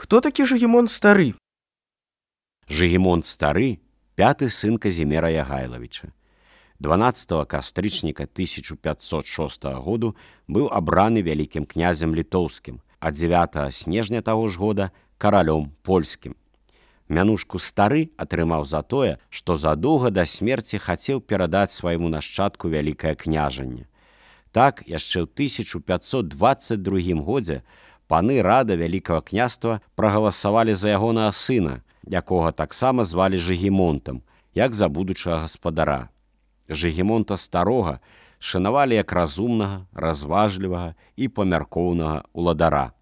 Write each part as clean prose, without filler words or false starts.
Хто такі Жыгімонт стары? Жыгімонт стары, пяты сын Казімера Ягайлавіча. 12 кастрычніка 1506 году быў абраны вялікім князем літоўскім, а 9 снежня таго ж года каралём польскім. Мянушку стары атрымаў за тое, што задоўга да смерці хацеў перадаць свайму нашчадку вялікае княжанне. Так, яшчэ ў 1522 годзе паны рада вялікага княства прагаласавалі за ягонага сына, якога таксама звалі Жыгімонтам, як за будучага гаспадара. Жыгімонта старога шанавалі як разумнага, разважлівага і памяркоўнага ўладара.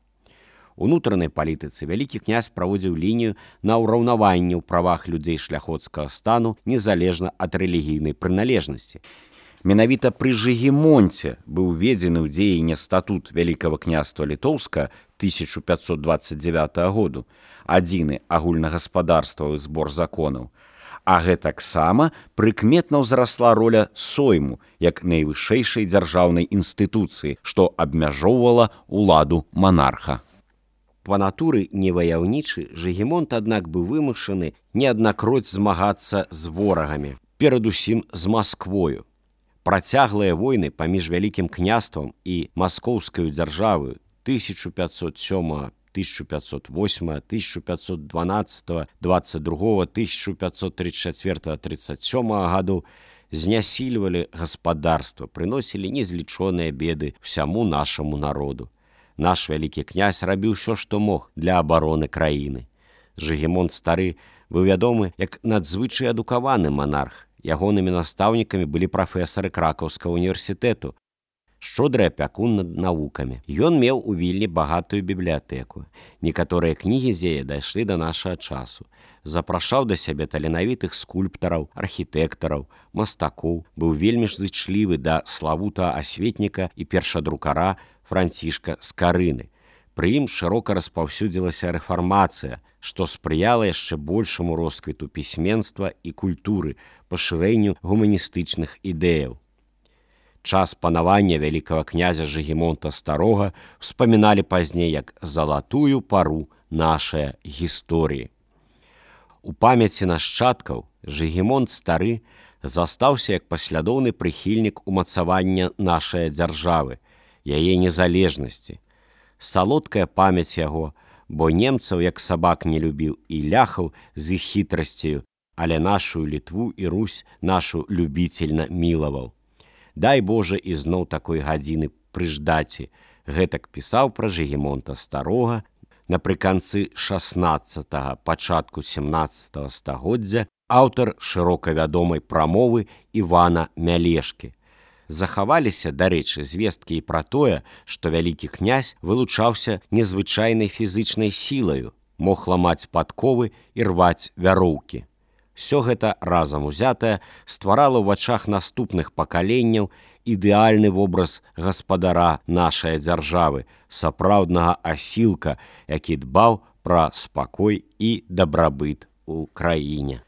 У ўнутранай палітыцы вялікі князь праводзіў лінію на ўраўнаванне ў правах людзей шляхоцкага стану незалежна ад рэлігійнай прыналежнасці. Менавіта пры Жыгімонце быў уведзены ў дзеянне статут Вялікага княства Літоўска 1529 году, адзіны агульнагаспадарствавы збор законаў, а гэтаксама прыкметна ўзрасла роля сойму як найвышэйшай дзяржаўнай інстытуцыі, што абмяжоўвала ўладу манарха. Па натуры неваяўнічы Жыгімонт, аднак, быў вымушаны неаднакроць змагацца з ворагамі, перадусім з Масквою. Працяглыя войны паміж Вялікім княствам і маскоўскаю дзяржаваю 1507, 1508, 1512, 22, 1534, 37 гадоў знясільвалі гаспадарства, прыносілі незлічоныя беды ўсяму нашаму народу. Наш вялікі князь рабіў усё, што мог для абароны краіны. Жыгімонт стары быў вядомы як надзвычай адукаваны монарх. Ягонымі настаўнікамі былі прафесары Кракаўскага універсітэту, шчодры апякун над навукамі. Ён меў у Вільні багатую бібліятэку. Некаторыя кнігі з яе дайшлі да нашага часу. Запрашаў да сябе таленавітых скульптараў, архітэктараў, мастакоў, быў вельмі ж зычлівы да славутага асветніка і першадрукара Францішка Скарыны. Пры ім шырока распаўсюдзілася рэфармацыя, што спрыяла яшчэ большаму росквіту пісьменства і культуры, пашырэнню гуманістычных ідэяў. Час панавання вялікага князя Жыгімонта старога успаміналі пазней як залатую пару нашай гісторыі. У памяці нашчадкаў Жыгімонт стары застаўся як паслядоўны прыхільнік умацавання нашай дзяржавы, яе незалежнасці. Салодкая памяць яго, бо немцаў як сабак не любіў і ляхаў з іх хітрасцю, але нашу Літву і Русь нашу любіцельна мілаваў. Дай Божа ізноў такой гадзіны прыждаці, гэтак пісаў пра Жыгімонта старога напрыканцы 16-го, пачатку 17-го стагоддзя аўтар шырока вядомай прамовы Івана Мялешкі. Захаваліся, дарэчы, звесткі і пра тое, што вялікі князь вылучаўся незвычайнай фізычнай сілаю, мог ламаць падковы і рваць вяроўкі. Всё гэта разам узятае стварала ў вачах наступных пакаленняў ідэальны вобраз гаспадара нашай дзяржавы, сапраўднага асілка, які дбаў пра спакой і дабрабыт у краіне.